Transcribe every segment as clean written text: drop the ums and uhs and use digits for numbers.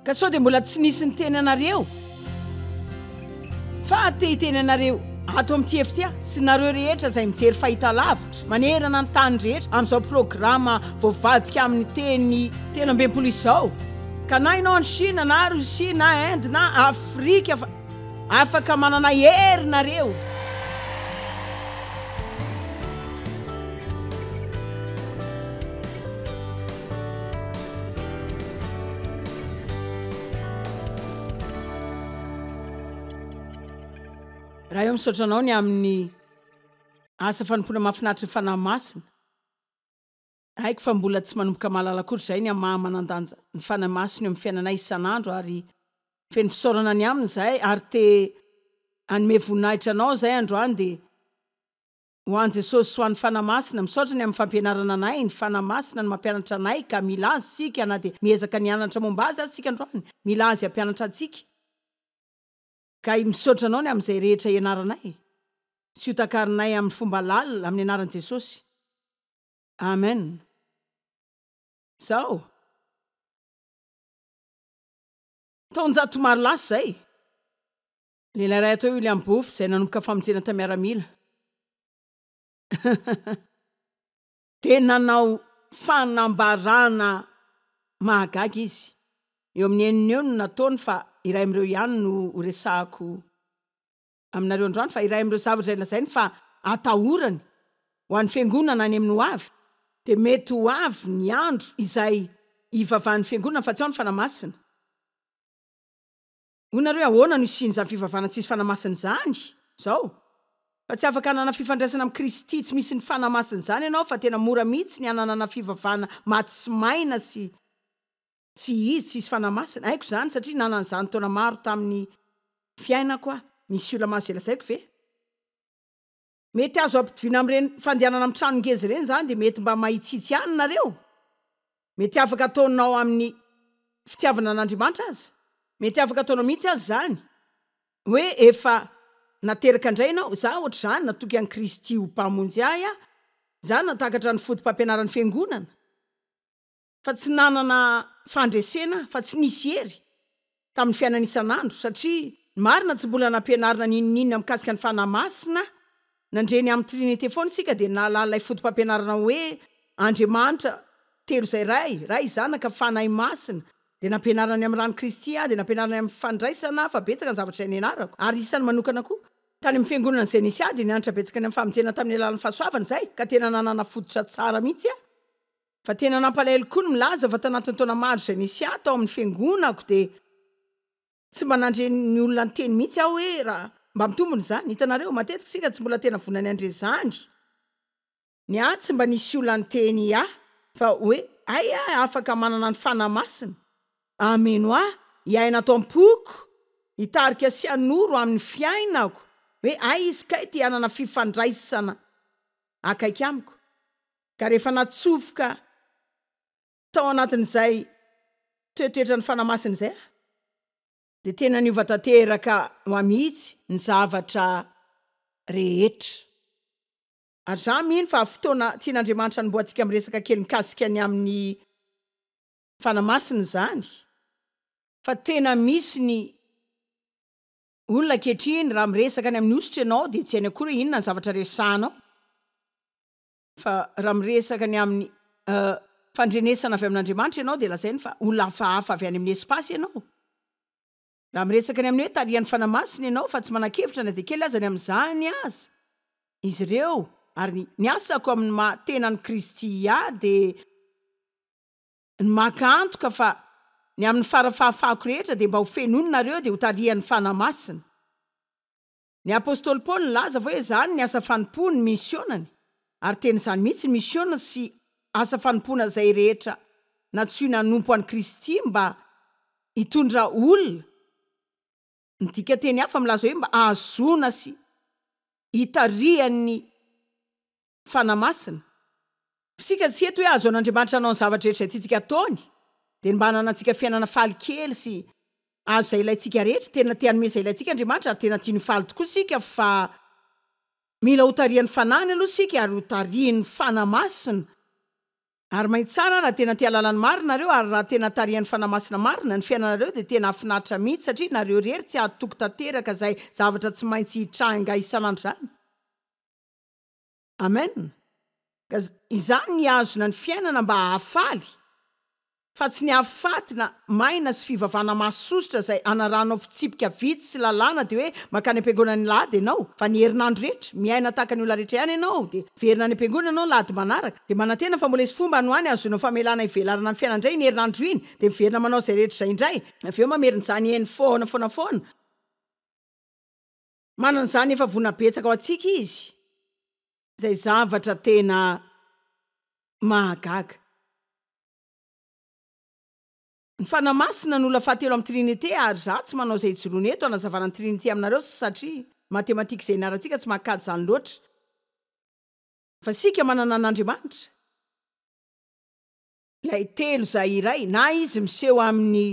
Ka sao dia mbola tsy nisy niteny anareo fa te hiteny anareo ato amin'ity efitra ity aho sy nareo rehetra izay mijery fahitalavitra manerana ny tany rehetra amin'izao programa voavadika amin'ny teny 63 izao ka na ianao any Chine na Russie na Inde na Afrika fa afaka manana hery nareo. Ray ô misaotra anao ny amin'ny asa fanompoana mahafinaritra ny Fanahy Masina. Haiko fa mbola tsy manomboka mahalala akory izahay ny amin'ny maha manan-danja ny Fanahy Masina eo amin'ny fiainanay isan'andro ary feno fisaorana ny aminy izahay ary te hanome voninahitra anao izahay androany dia Ho an'i Jesosy sy ho an'ny Fanahy Masina, misaotra ny amin'ny fampianarana anay, ny Fanahy Masina no mampianatra anay ka mila Azy isika na dia miezaka ny hianatra momba Azy aza isika androany, mila Azy hampianatra antsika. Ka misaotra Anao ny amin'izay rehetra ianaranay sy ho takarinay amin'ny fomba lalina, amin'ny anaran'i Jesosy. Amen. Izao. Taonjato maro lasa izay. Lehilahy iray atao hoe William Booth izay nanomboka famonjena tamin'ny miaramila dia nanao fanambarana mahagaga izy. Eo amin'ny enina eo no nataony fa iray amin'ireo ihany no horesahako aminareo androany fa iray amin'ireo zavatra izay lazainy fa atahorany ho an'ny fiangonana any amin'ny ho avy dia mety ho avy ny andro izay hivavahan'ny fiangonana fa tsy ao ny Fanahy Masina. Hoy nareo hoe ahoana no hisian'izany fivavahana tsisy Fanahy Masina izany izao? Fa tsy afaka hanana fifandraisana amin'i Kristy tsy misy ny Fanahy Masina izany ianao fa tena mora mihitsy ny hananana fivavahana maty sy maina sy tsy izy tsisy Fanahy Masina. Haiko izany satria nanana izany taona maro tamin'ny fiainako aho. Misy olona mahazo izay lazaiko ve? Mety azo ampitoviana amin'ireny fandehanana amin'ny trano ngeza ireny izany dia mety mba mahitsitsy ihany nareo. Mety afaka ataonao amin'ny fitiavana an'Andriamanitra aza. Mety afaka ataonao mihitsy aza izany hoe efa nateraka indray ianao. Izaho ohatr'izany, natoky an'i Kristy ho Mpamonjy ahy aho. Izaho nahatakatra ny foto-pampianaran'ny Fiangonana. Fa tsy nanana fandresena aho, fa tsy nisy hery tamin'ny fiainana isan'andro, satria ny marina tsy mbola nampianarina n'inon'inona mikasika ny Fanahy Masina, nandre ny amin'ny Trinite foana isika dia nahalala ilay foto-pampianarana hoe Andriamanitra telo izay Ray, Ray, Zanaka, Fanahy Masina, dia nampianarina ny amin'ny ran'i Kristy aho, dia nampianarina ny amin'ny fandraisana aho, fa betsaka ny zavatra izay nianarako, ary isan'ny manokana koa. Tany amin'ny fiangonana izay nisy ahy dia nianatra betsaka ny amin'ny famonjena tamin'ny alalan'ny fahasoavana izahay, ka tena nanana fototra tsara mihitsy aho. Fa tena nampalahelo koa ny milaza fa tanatin'ny taona maro izay nisy ahy tao amin'ny fiangonako dia tsy mba nandre ny olona niteny mihitsy aho hoe raha mba mitombina izany. Hitanareo, matetika isika tsy mbola tena vonona ny handre izany. Ny ahy tsy mba nisy olona niteny ahy fa hoe hay aho afaka manana ny Fanahy Masina hameno ahy, hiaina ato am-poko, hitarika sy hanoro amin'ny fiainako hoe hay izy kay te hanana fifandraisana akaiky amiko. Ka rehefa natsofoka tao anatin'izay toetoetran'ny Fanahy Masina izay aho, dia tena niova tanteraka ho ahy mihitsy ny zavatra rehetra. Ary izaho mino fa fotoana tian'Andriamanitra hanombohantsika miresaka kely mikasika ny amin'ny Fanahy Masina izany, fa tena misy ny olona ankehitriny raha miresaka any amin'ny hosotra ianao dia tsy hainy akory hoe inona ny zavatra resahanao. Fa raha miresaka ny amin'ny fandrenesana avy amin'Andriamanitra ianao dia lazainy fa olona hafahafa avy any amin'ny espace ianao. Raha miresaka ny amin'ny hoe tarihan'ny Fanahy Masina ianao fa tsy manan-kevitra na dia kely aza ny amin'izany aza izy ireo ary ny asako amin'ny maha tenan'i Kristy ahy dia ny maka antoka fa ny amin'ny fara-fahafahako rehetra dia mba ho fenoina nareo dia ho tarihan'ny Fanahy Masina. Ny apostoly Paoly nilaza fa hoe izany ny asa fanompoany, ny misionany, ary tena izany mihitsy, ny misiona sy asa fanompoana izay rehetra nantsoina hanompo an'i Kristy mba hitondra olona, ny dikanteny hafa milaza hoe mba hahazoana sy hitarihan'ny Fanahy Masina. Isika tsy eto hoe hahazoan'Andriamanitra hanao ny zavatra rehetra izay tiantsika hataony, dia ny mba hananantsika fiainana faly kely sy hahazo izay ilaintsika rehetra. Tena te hanome izay ilaintsika Andriamanitra ary tena tiany ho faly tokoa isika fa mila hotarihan'ny Fanahiny aloha isika ary hotarihin'ny Fanahy Masina. Ary mahitsy tsara raha tena te hahalala ny marina nareo ary raha tena tarihan'ny Fanahy Masina marina ny fiainanareo dia tena hahafinaritra mihitsy satria nareo rery tsy hahatoky tanteraka izay zavatra tsy maintsy hitranga isan'andro izany. Amen. Ka izany ny hihazona ny fiainana mba hahafaly. Fa tsy ny hahafaty na maina sy fivavahana mahasosotra izay anarahanao fitsipika vitsy sy lalàna dia hoe mankany am-piangonana ny lahady ianao fa ny herinandro rehetra miaina tahaka ny olona rehetra ihany ianao dia miverina any am-piangonana ianao lahady manaraka dia manantena fa mbola hisy fomba any ho any hahazoanao famelana hivelarana ny fiainana indray iny herinandro iny dia miverina manao izay rehetra izay indray avy eo mamerina izany eny foana foana foana. Manana izany efa vonona betsaka ho antsika izy izay zavatra tena mahagaga. Ny Fanahy Masina no olona fahatelo amin'ny Trinite ary za tsy manao izay hijoroana eto hanazavana ny Trinite aminareo satria matematika izay ianarantsika tsy mahakajy izany loatra. Fa isika manana an'Andriamanitra, ilay telo izay iray, na Izy miseho amin'ny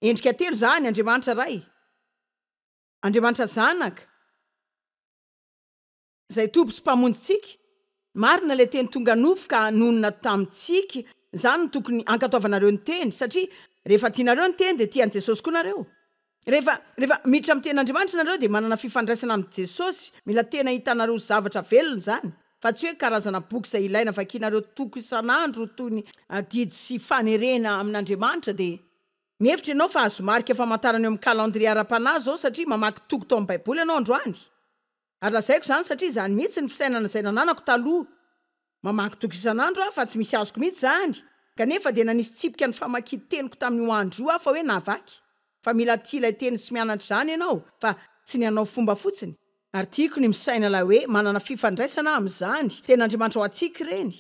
endrika telo izany, Andriamanitra Ray, Andriamanitra Zanaka, Izay Tompo sy Mpamonjintsika. Marina ilay teny tonga nofo ka nonina tamintsika, izany no tokony hankatoavanareo ny teny, satria rehefa tianareo ny teny dia tia an'i Jesosy koa nareo. Rehefa rehefa miditra amin'ny tenin'Andriamanitra nareo dia manana fifandraisana amin'i Jesosy, mila tena hitanareo ho zavatra velona izany, fa tsy hoe karazana boky izay ilaina vakianareo toko isan'andro toy ny adidy sy fanerena amin'Andriamanitra dia mihevitra ianao fa azo marika famantarana eo amin'ny calendrier ara-panahy izao satria mamaky toko tao amin'ny baiboly ianao androany. Ary lazaiko izany satria izany mihitsy ny fisainana izay nananako taloha. Mamaky toko isan'andro aho fa tsy misy azoko mihitsy izany, kanefa dia nanisy tsipika ny famakian-teniko tamin'io andro io aho fa hoe nahavaky. Fa mila tia ilay teny sy mianatra izany ianao fa tsy ny hanao fomba fotsiny. Ary tiako ny misaina ilay hoe manana fifandraisana aho amin'izany. Tena Andriamanitra ho antsika ireny.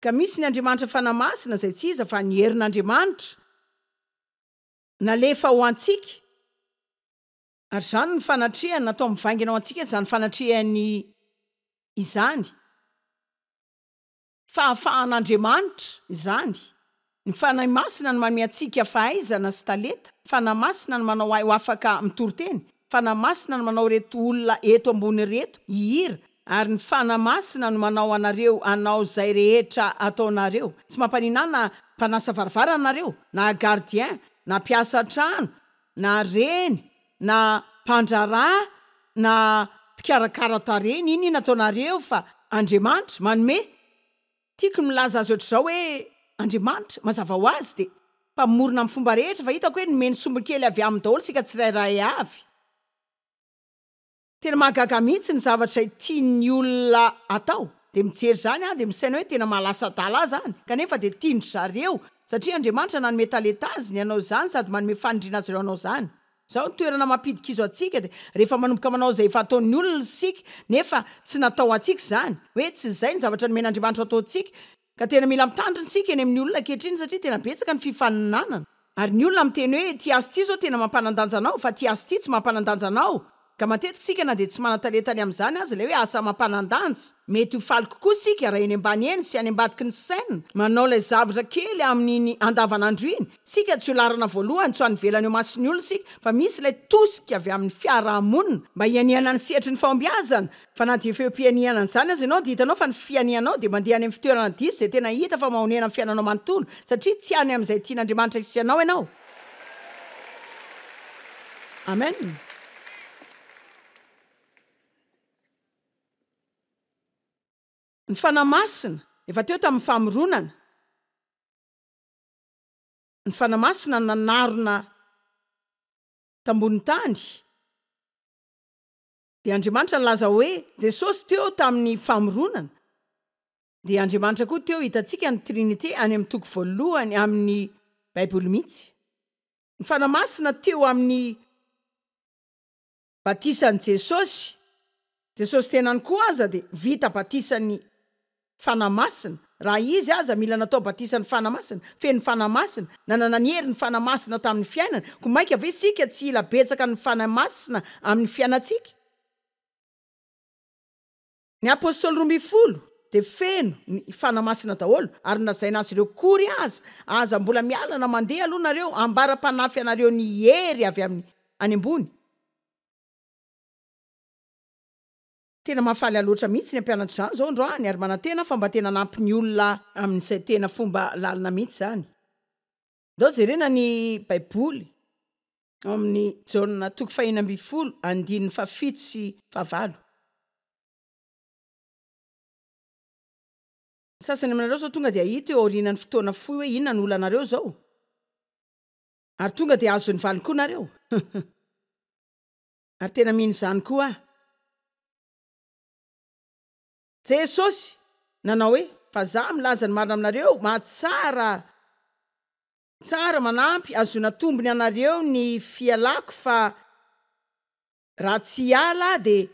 Ka misy ny Andriamanitra Fanahy Masina izay tsy iza fa ny herin'Andriamanitra nalefa ho antsika. Ary izany no fanatrehany, natao mivaingana ho antsika izany fanatrehany izany. Fahafahan'Andriamanitra izany. Ny Fanahy Masina no manome antsika fahaizana sy talenta. Fanahy Masina no manao ahy ho afaka mitory teny. Fanahy Masina no manao ireto olona eto ambony ireto hihira. Ary ny Fanahy Masina no manao anareo hanao izay rehetra ataonareo. Tsy mampaninona ahy na mpanasa varavarana nareo, na gardien, na mpiasa an-trano, na reny na mpandraharaha na mpikarakara tarehy n'inona ataonareo fa Andriamanitra manome, tiako ny milaza azy ohatr'izao hoe Andriamanitra mazava ho azy dia mpamorona amin'ny fomba rehetra fa hitako hoe nomeny sombiny kely avy aminy daholo isika tsirairay avy. Tena mahagaga mihitsy ny zavatra izay tian'ny olona atao. Dia mijery izany aho dia misaina hoe tena mahalasa adala ahy izany. Kanefa dia tian-dry zareo satria Andriamanitra nanome talenta azy ny hanao izany sady manome fanindriana azy ireo hanao izany. Izao ny toerana mampidi-kizo antsika dia rehefa manomboka manao izay efa ataon'ny olona isika nefa tsy natao antsika izany. Hoe tsy izay ny zavatra nomen'Andriamanitra ho ataontsika. Ka tena mila mitandrina isika eny amin'ny olona ankehitriny satria tena betsaka ny fifaninanana. Ary ny olona miteny hoe ity asa ity izao tena mampanan-danja anao fa ity asa ity tsy mampanan-danja anao. Ka matetika isika na dia tsy manan-talenta ny amin'izany aza ilay hoe asa mampanan-danja. Mety ho faly kokoa isika raha eny ambany eny sy any ambadiky ny scène manao ilay zavatra kely amin'iny andavanandro iny. Isika tsy ho laharana voalohany, tsy ho any ivelany eo mason'ny olona isika fa misy ilay tosika avy amin'ny fiarahamonina mba hianihana ny sehatry ny fahombiazana Fa na dia efa eo am-pihanihana an'izany aza ianao dia hitanao fa ny fihanihanao dia mandeha any amin'ny fitoerana diso dia tena hita fa mahonena amin'ny fiainanao manontolo satria tsy any amin'izay tian'Andriamanitra hisy anao ianao. Amen. Ny Fanahy Masina efa teo tamin'ny famoronana. Ny Fanahy Masina nanarona tambonin'ny tany. Dia Andriamanitra nilaza hoe, Jesosy teo tamin'ny famoronana, dia Andriamanitra koa teo, hitantsika ny Trinite any amin'ny toko voalohany amin'ny Baiboly mihitsy. Ny Fanahy Masina teo amin'ny batisan'i Jesosy, Jesosy tenany koa aza dia vita batisan'ny Fanahy Masina, raha Izy aza mila natao batisan'ny Fanahy Masina, feno Fanahy Masina, nanana ny herin'ny Fanahy Masina tamin'ny fiainany, koa mainka ve isika tsy hila betsaka ny Fanahy Masina amin'ny fiainantsika? Ny Apostoly 12 dia feno ny Fanahy Masina daholo, ary nolazaina azy ireo kory aza, aza mbola miala na mandeha aloha nareo, ambara-panafy anareo ny hery avy amin'ny any ambony. Tena mahafaly ahy loatra mihitsy ny hampianatra izany izao androany ary manantena aho fa mba tena hanampy ny olona amin'izay tena fomba lalina mihitsy izany. Ndao jerena ny Baiboly ao amin'ny Jaona toko fahenina ambinifolo andininy fahafito sy fahavalo. Ny sasany aminareo izao tonga dia hahita eo aorianan'ny fotoana fohy hoe inona no olanareo izao. Ary tonga dia azon'ny valiny koa nareo. Ary tena mino izany koa aho. Jesosy nanao hoe, Fa Za milaza ny marina aminareo, mahatsara tsara manampy ahazoana tombony anareo ny fialako fa raha tsy hiala aho dia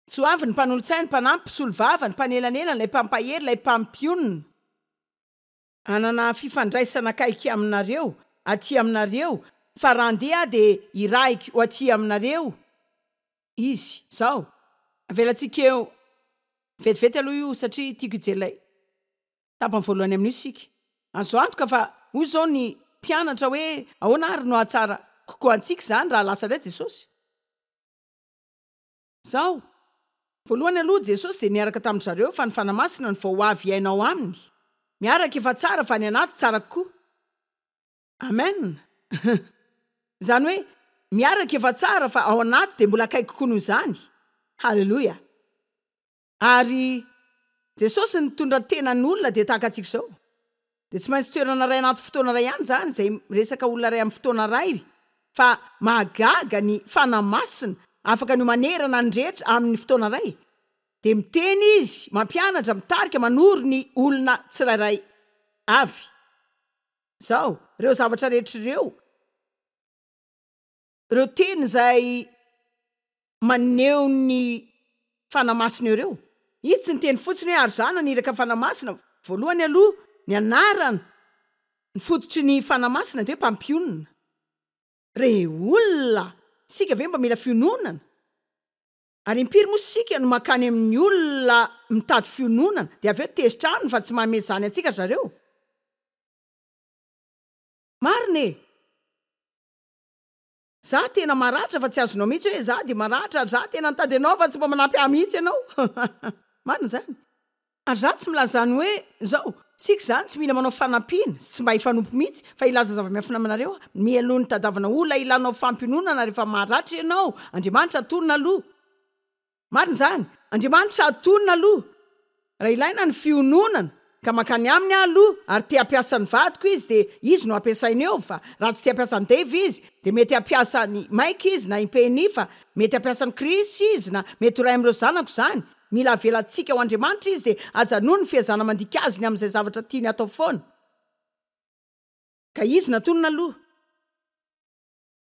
tsy ho avy ny mpanolotsaina, ny mpanampy, mpisolovava, ny mpanelanelana, ilay mpampahery, ilay mpampionona. Hanana fifandraisana akaiky aminareo, aty aminareo, fa raha handeha aho dia hirahiko ho aty aminareo izy. Izao, avelantsika eo vetivety aloha io satria tiako hijery ilay tapany voalohany amin'io isika. Azo antoka fa hoy izao ny mpianatra hoe ahoana ary no hahatsara kokoa antsika izany raha lasa indray Jesosy? Izao, voalohany aloha Jesosy dia niaraka tamin-dry zareo fa ny Fanahy Masina no vao ho avy hiaina ao aminy. Miaraka efa tsara fa ny anaty tsara kokoa. Amen! Izany hoe miaraka efa tsara fa ao anaty dia mbola akaiky kokoa noho izany. Haleloia! Ary Jesosy nitondra tena ny olona dia tahaka antsika izao. Dia tsy maintsy toerana iray anaty fotoana iray ihany izany izay miresaka olona iray amin'ny fotoana iray fa mahagaga ny Fanahy Masina afaka ny ho manerana ny rehetra amin'ny fotoana iray. Dia miteny Izy, mampianatra, mitarika, manoro ny olona tsirairay avy. Izao, ireo zavatra rehetra ireo. Ireo teny izay maneho ny Fanahy Masina ireo. Izy tsy niteny fotsiny hoe ary izaho naniraka Fanahy Masina. Voalohany aloha, ny anarana, ny fototry ny Fanahy Masina dia hoe mpampionona. Re olona! Isika ve mba mila fiononana? Ary impiry moa isika no mankany amin'ny olona mitady fiononana dia avy eo tezitra aminy fa tsy manome izany antsika ry zareo? Marina e! Za tena maratra fa tsy azonao mihitsy hoe za dia maratra ary za tena nitady anao fa tsy mba manampy ahy mihitsy ianao. Marina izany. Ary za tsy milaza ny hoe zao, isika izany tsy mila manao fanampiana sy tsy mba hifanompo mihitsy fa hilaza zava-miafina aminareo aho, mialoha ny hitadiavana olona hilanao fampiononana rehefa maratra ianao, Andriamanitra atonina aloha. Marina izany. Andriamanitra atonina aloha. Raha ilaina ny fiononana, ka mankany aminy aho aloha, ary te hampiasa ny vadiko izy, dia izy no ampiasainy eo, fa raha tsy te hampiasa an'i Dave izy, dia mety hampiasa an'i Mike izy, na i Penny, fa mety hampiasa an'i Chris izy, na mety ho iray amin'ireo zanako izany. Mila avelantsika ho Andriamanitra izy, dia ajanony ny fiezahana mandika azy ny amin'izay zavatra tiany hatao foana. Ka izy natonina aloha.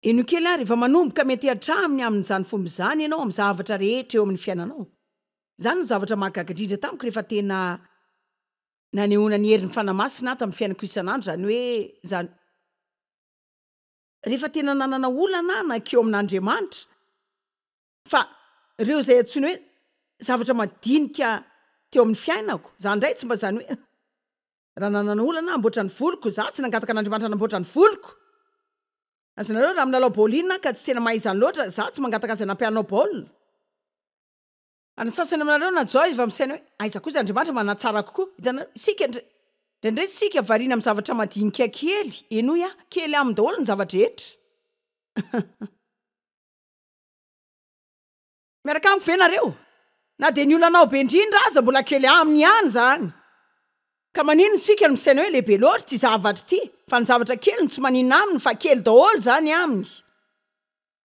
Henoy kely ary, efa manomboka miantehatra Aminy amin'izany fomba izany ianao amin'ny zavatra rehetra eo amin'ny fiainanao. Izany no zavatra mahagaga indrindra tamiko rehefa tena nanehoana ny herin'ny Fanahy Masina aho tamin'ny fiainako isan'andro, izany hoe izany rehefa tena nanana olana aho nankeo amin'Andriamanitra, fa ireo izay antsoina hoe zavatra madinika teo amin'ny fiainako, izaho indray tsy mba izany hoe Raha nanana olana aho hamboatra ny voloko, izaho tsy nangataka an'Andriamanitra hanamboatra ny voloko. Azonareo, raha milalao baolina aho ka tsy tena mahay izany loatra, izaho tsy mangataka azy hanampy ahy hanao baolina. Ary ny sasany aminareo na Joy efa misaina hoe, aiza kosa Andriamanitra manatsara kokoa. Hitanareo, isika indray, indraindray isika variana amin'ny zavatra madinika kely, henoy aho, kely aminy daholo ny zava-drehetra. Miaraka amiko ve nareo? Na dia ny olanao be indrindra aza mbola kely aminy ihany izany. Ka maninona isika no misaina hoe lehibe loatra ity zavatra ity fa ny zavatra kely no tsy maninona aminy fa kely daholo izany aminy.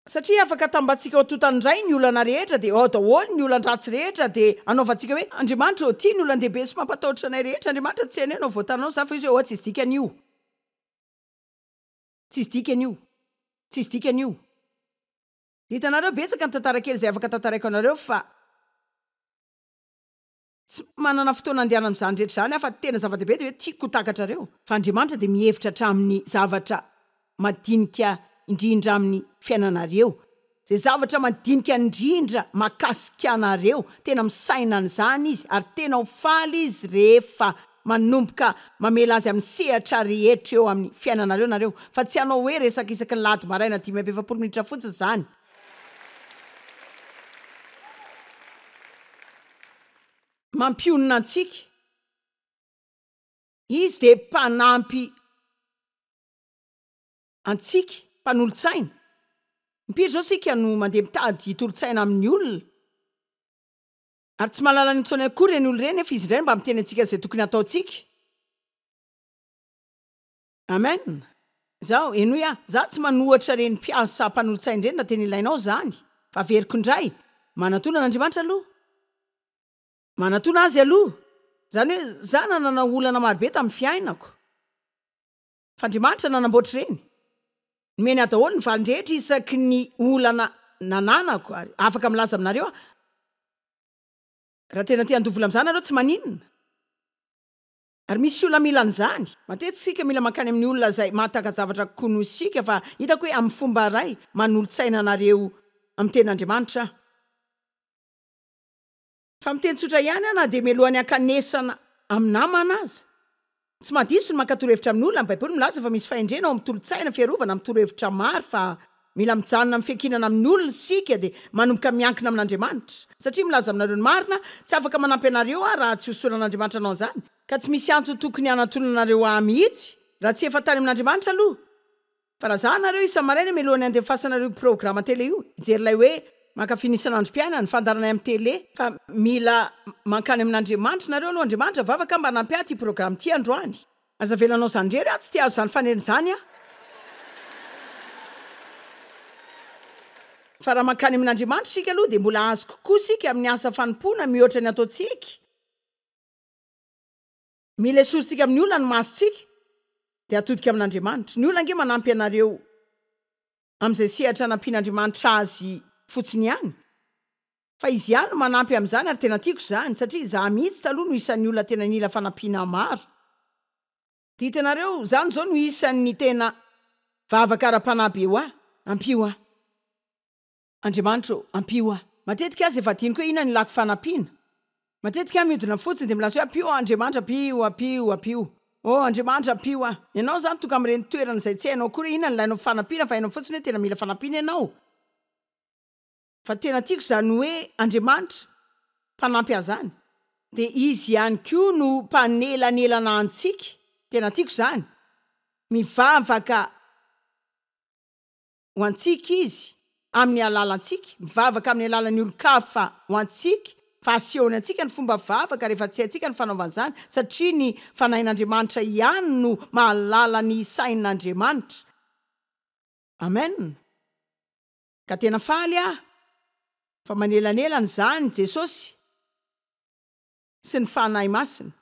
Satria afaka atambatsika ao totany indray ny olana rehetra dia ao daholo ny olan-dratsy rehetra dia anaovantsika hoe Andriamanitra ô ity ny olan-dehibe sy mampatahotra anay rehetra Andriamanitra tsy hainay no voatanao izany fa izy hoe oa tsisy dikany io. Tsisy dikany io. Tsisy dikany io. Hitanareo, betsaka ny tantara kely izay afaka tantaraiko anareo fa tsy manana fotoana andehanana amin'izany rehetra izany aho fa tena zava-dehibe dia hoe tiako ho takatrareo fa Andriamanitra dia mihevitra hatramin'ny zavatra madinika indrindra amin'ny fiainanareo, izay zavatra madinika indrindra mahakasika anareo, tena misaina an'izany Izy ary tena ho faly Izy rehefa Manomboka mamela azy amin'ny sehatra rehetra eo amin'ny fiainanareo nareo, fa tsy hanao hoe resaka isaky ny lahady maraina 45 minitra fotsiny izany. mampionona antsika. Izy dia mpanampy antsika, mpanolo-tsaina. Impiry izao isika no mandeha mitady tolo-tsaina amin'ny olona, ary tsy mahalala ny ataony akory ireny olona ireny, nefa izy indray no mba miteny antsika izay tokony hataontsika. Amen! Zao, henoy aho, za tsy manohatra ireny mpiasa mpanolo-tsaina ireny raha tena ilainao izany, fa averiko indray, manatona an'Andriamanitra aloha. Manatona Azy aloha. Izany hoe, za nanana olana marobe tamin'ny fiainako. Fa Andriamanitra nanamboatra ireny. Nomeny ahy daholo ny valiny rehetra isaky ny olana nananako, ary afaka milaza aminareo aho, raha tena te handoa vola amin'izany nareo, tsy maninona. Ary misy olona mila an'izany. Matetika isika mila mankany amin'ny olona izay mahataka-javatra kokoa noho isika, fa hitako hoe amin'ny fomba iray manolo-tsaina anareo amin'ny Tenin'Andriamanitra aho. Fa miteny tsotra ihany aho na dia mialohan'ny hankanesana amin'ny namana aza. Tsy mahadiso ny maka torohevitra amin'ny olona, ny Baiboly milaza fa misy fahendrena ao amin'ny tolo-tsaina, fiarovana amin'ny torohevitra maro, fa mila mijanona amin'ny fiankinana amin'ny olona isika dia manomboka miankina amin'Andriamanitra. Satria milaza aminareo ny marina, tsy afaka manampy anareo aho raha tsy hosoran'Andriamanitra hanao an'izany, ka tsy misy antony tokony hanantonanareo ahy mihitsy raha tsy efa tany amin'Andriamanitra aloha. Fa raha za nareo isa-maraina mialohan'ny handefasanareo io programa tele io, hijery ilay hoe Mankafy ny isan'androm-piainana, fandaharanay amin'ny tele, fa mila mankany amin'Andriamanitra nareo aloha, Andriamanitra vavaka mba hanampy ahy ity programa ity androany. Aza avela hanao izany irery aho, tsy te hahazo izany fanerena izany aho. Fa raha mankany amin'Andriamanitra isika aloha dia mbola hahazo kokoa isika amin'ny asa fanompoana mihoatra ny ataontsika. Mila esorintsika amin'ny olona ny masontsika dia atodika amin'Andriamanitra. Ny olona ange manampy anareo amin'izay sehatra anampian'Andriamanitra azy fotsiny ihany. Fa izy ihany no manampy amin'izany ary tena tiako izany satria izaho mihitsy taloha no isan'ny olona tena nila fanampiana maro. Dia hitanareo, izany izao no isan'ny tena vavaka ara-panahy be ho ahy, ampio aho. Andriamanitra ô, ampio aho. Matetika aza efa adinoko hoe inona no ilako fanampiana. Matetika aho mihodina fotsiny dia milaza hoe ampio aho Andriamanitra, ampio, ampio, ampio. Oh, Andriamanitra, ampio aho. Ianao izany tonga amin'ireny toerana izay tsy hainao akory hoe inona no ilainao fanampiana fa hainao fotsiny hoe tena mila fanampiana ianao. Fa tena tiako izany hoe Andriamanitra mpanampy ahy izany. Dia Izy ihany koa no mpanelanelana antsika. Tena tiako izany. Mivavaka ho antsika Izy amin'ny alalantsika, mivavaka amin'ny alalan'ny olon-kafa ho antsika, fa asehony antsika ny fomba vavaka rehefa tsy haintsika ny fanaovana izany, satria ny Fanahin'Andriamanitra ihany no mahalala ny sain'Andriamanitra. Amen. Ka tena faly aho fa manelanelana izany Jesosy sy ny Fanahy Masina.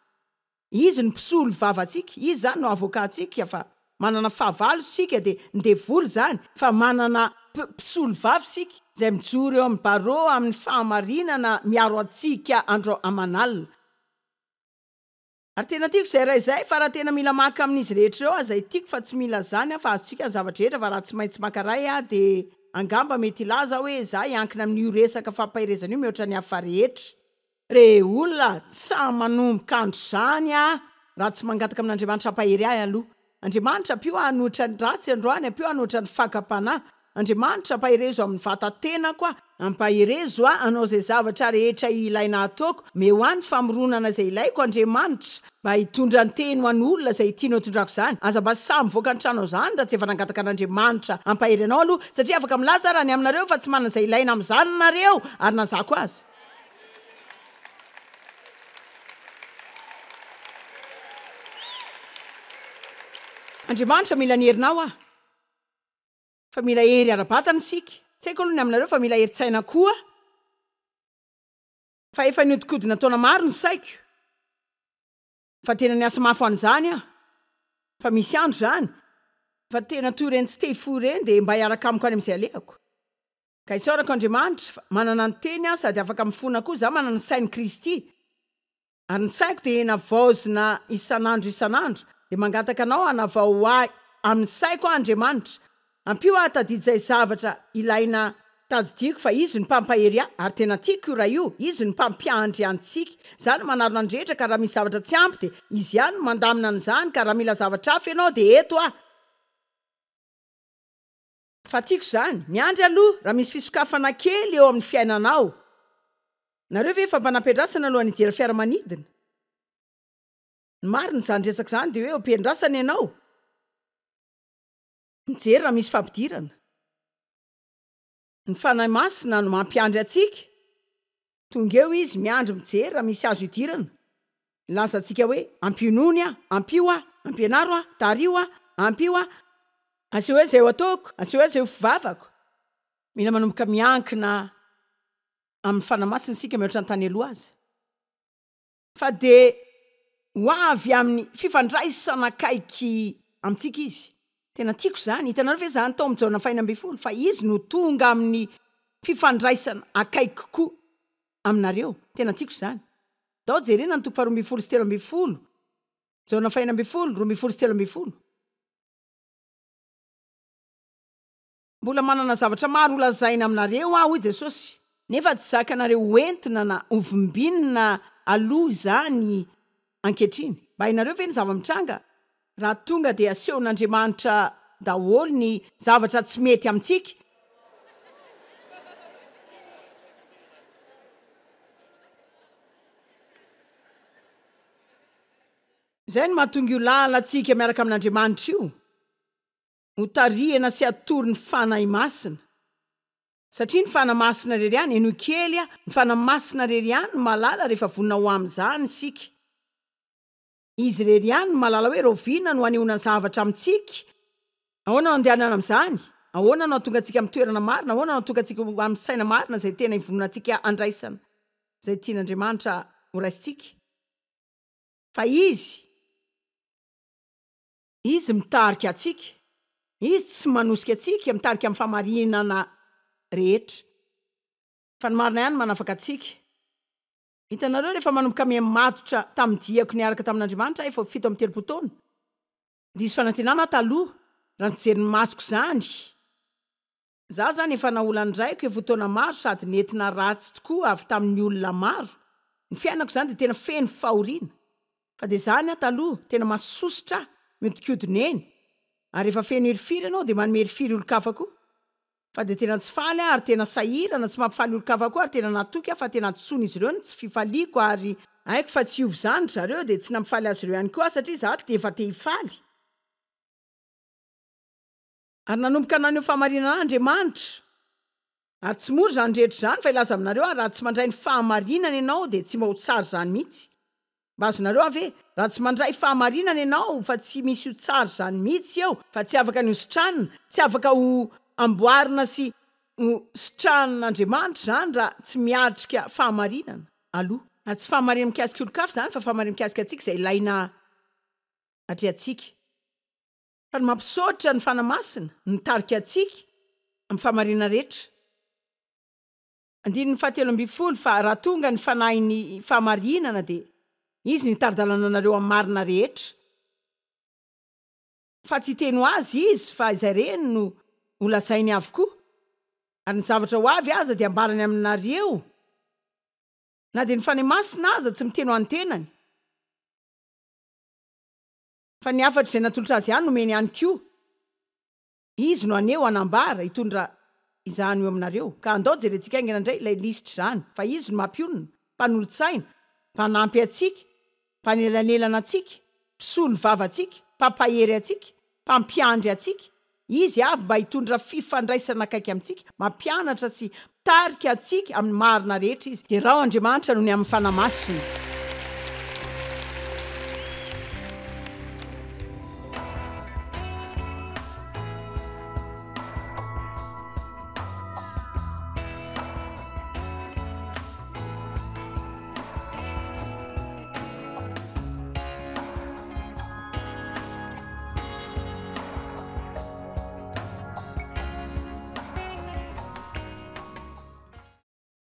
Izy no mpisolo vava antsika, Izy izany no avocat antsika fa manana fahavalo isika dia ny devoly izany fa manana mpisolo vava isika izay mijoro eo amin'ny barreau amin'ny fahamarinana miaro antsika andro aman'alina. Ary tena tiako izay iray izay fa raha tena mila maka amin'izy rehetra ireo aho izay tiako fa tsy mila izany aho fa azontsika ny zava-drehetra fa raha tsy maintsy maka iray aho dia angamba mety hilaza aho hoe izaho hiankina amin'io resaka fampaherezana io mihoatra ny hafa rehetra. Re olona, tsy sahy manomboka andro izany aho raha tsy mangataka amin'Andriamanitra hampahery ahy aloha. Andriamanitra ampio aho hanohitra ny ratsy androany, ampio aho hanohitra ny fakam-panahy. Andriamanitra, ampaherezo amin'ny vata-tenako aho. Ampaherezo aho hanao izay zavatra rehetra ilaina hataoko. Omeo ahy ny famoronana izay ilaiko, Andriamanitra, mba hitondra ny teny ho an'olona izay tianao hitondrako izany. Aza mba sahy mivoaka ny tranonao izany raha tsy efa nangataka an'Andriamanitra hampahery anao aloha, satria afaka milaza aho raha ny aminareo fa tsy manana izay ilaina amin'izany nareo, ary na izaho koa aza. Andriamanitra, mila ny herinao aho. Fa mila hery ara-batana isika. Tsy haiko aloha ny aminareo fa mila herin-tsaina koa. Fa efa nihodinkodina taona maro ny saiko. Fa tena niasa mafy ho an'izany aho. Fa misy andro izany. Fa tena toy ireny tsy te hifoha ireny dia mba hiaraka amiko any amin'izay alehako. Ka isaorako Andriamanitra fa manana ny teny aho sady afaka mifona koa. Izaho manana ny sain'i Kristy. Ary ny saiko dia navaozina isan'andro isan'andro, dia mangataka Anao hanavao ahy amin'ny saiko aho Andriamanitra, ampio aho hatadidy izay zavatra ilaina tadidiako fa Izy no mpampahery ahy, ary tena tiako io Ray io, Izy no mpampiandry antsika, Izaho no manarona ny rehetra ka raha misy zavatra tsy ampy dia Izy ihany no mandamina an'izany ka raha mila zavatra hafa ianao dia eto aho. Fa tiako izany. Miandry aloha raha misy fisokafana kely eo amin'ny fiainanao. Nareo ve efa mba nampiandrasana alohan'ny hijery fiaramanidina? Ny marina izany resaka izany dia hoe eo am-piandrasana ianao mijery raha misy fampidirana. Ny Fanahy Masina no mampiandry antsika. Tonga eo Izy miandry mijery raha misy azo idirana. Milaza antsika hoe, Ampionony aho, ampio aho, ampianaro aho, tariho aho, ampio aho, asehoy ahy izay ho ataoko, asehoy ahy izay ho fivavako. Mila manomboka miankina amin'ny Fanahy Masina isika mihoatra ny tany aloha aza. Fa dia ho avy amin'ny fifandraisana akaiky amintsika Izy. Tena tiako izany. Hitanareo ve izany tao amin'ny Jaona fahenina ambinifolo, fa Izy no tonga amin'ny fifandraisana akaiky kokoa aminareo. Tena tiako izany. Ndao jerena ny toko faharoa ambinifolo sy 13. Jaona fahenina ambinifolo, 12 sy 13. Mbola manana zavatra maro holazaina aminareo aho, hoy Jesosy. Nefa tsy zakanareo hoentina na hovimbinina aloha izany ankehitriny. Mba hainareo ve ny zava-mitranga raha tonga dia asehon'Andriamanitra daholo ny zavatra tsy mety amintsika? Izay no mahatonga io lalantsika miaraka amin'Andriamanitra io. Hotarihana sy atoro ny Fanahy Masina. Satria ny Fanahy Masina irery ihany, henoy kely aho, ny Fanahy Masina irery ihany no mahalala rehefa vonona ho amin'izany isika. Izy irery ihany no mahalala hoe rahoviana no hanehoana ny zavatra amintsika. Ahoana no andehanana amin'izany? Ahoana no hahatonga antsika amin'ny toerana marina? Ahoana no hahatonga antsika ho amin'ny saina marina izay tena ivononantsika handraisana izay tian'Andriamanitra horaisintsika? Fa Izy. Izy mitarika antsika. Izy tsy manosika antsika, mitarika amin'ny fahamarinana rehetra. Fa ny marina ihany no manafaka antsika. Hitanareo, rehefa manomboka miha-matotra tamin'ny diako niaraka tamin'Andriamanitra aho, efa ho 37 taona, diso fanantenana aho taloha, raha nijery ny masoko izany. Za zany efa naolan'ny raiko efa ho taona maro sady nentina ratsy tokoa avy tamin'ny olona maro, ny fiainako zany dia tena feno fahoriana, fa dia zany aho taloha tena masosotra ahy miodikodina eny, ary rehefa feno hirifiry ianao dia manome hirifiry olon-kafa koa, fa dia tena tsy faly aho ary tena sahirana tsy mampifaly olon-kafa koa ary tena natoky aho fa tena hadisoan'izy ireo ny tsy fifaliako ary haiko fa tsy hiova izany ry zareo dia tsy nampifaly azy ireo ihany koa aho satria za dia efa te hifaly. Ary nanomboka naneho fahamarinana ahy Andriamanitra. Ary tsy mora izany rehetra izany, fa hilaza aminareo aho, raha tsy mandray ny fahamarinana ianao, dia tsy mba ho tsara izany mihitsy. Mba azonareo aho ve? Raha tsy mandray fahamarinana ianao, fa tsy misy ho tsara izany mihitsy eo, fa tsy afaka ny ho sitranina, tsy afaka ho amboarina sy ho sitranin'Andriamanitra izany raha tsy miatrika fahamarinana aloha. Ary tsy fahamarinana mikasika olon-kafa izany, fa fahamarinana mikasika antsika izay ilaina atrehantsika. Fa ny mampisaotra ny Fanahy Masina no mitarika antsika amin'ny fahamarinana rehetra. Andininy fahatelo ambinifolo, Fa raha tonga ny Fanahin'ny fahamarinana dia Izy no hitari-dalana anareo amin'ny marina rehetra. Fa tsy hiteny ho azy Izy fa izay reny no holazainy avokoa, ary ny zavatra ho avy aza dia hambarany aminareo. Na dia ny Fanahy Masina aza tsy miteny ho an'ny tenany. Fa ny hafatra izay natolotra azy ihany nomeny ihany koa. Izy no haneho, hanambara, hitondra izany ho eo aminareo. Ka andao jerentsika haingana indray ilay lisitra izany. Fa Izy no mampionona, mpanolo-tsaina, mpanampy antsika, mpanelanelana antsika, mpisolo vava antsika, mpampahery antsika, mpampiandry antsika. Izy avy mba hitondra fifandraisana akaiky amintsika, mampianatra sy mitarika antsika amin'ny marina rehetra Izy. Derao Andriamanitra noho ny amin'ny Fanahy Masina.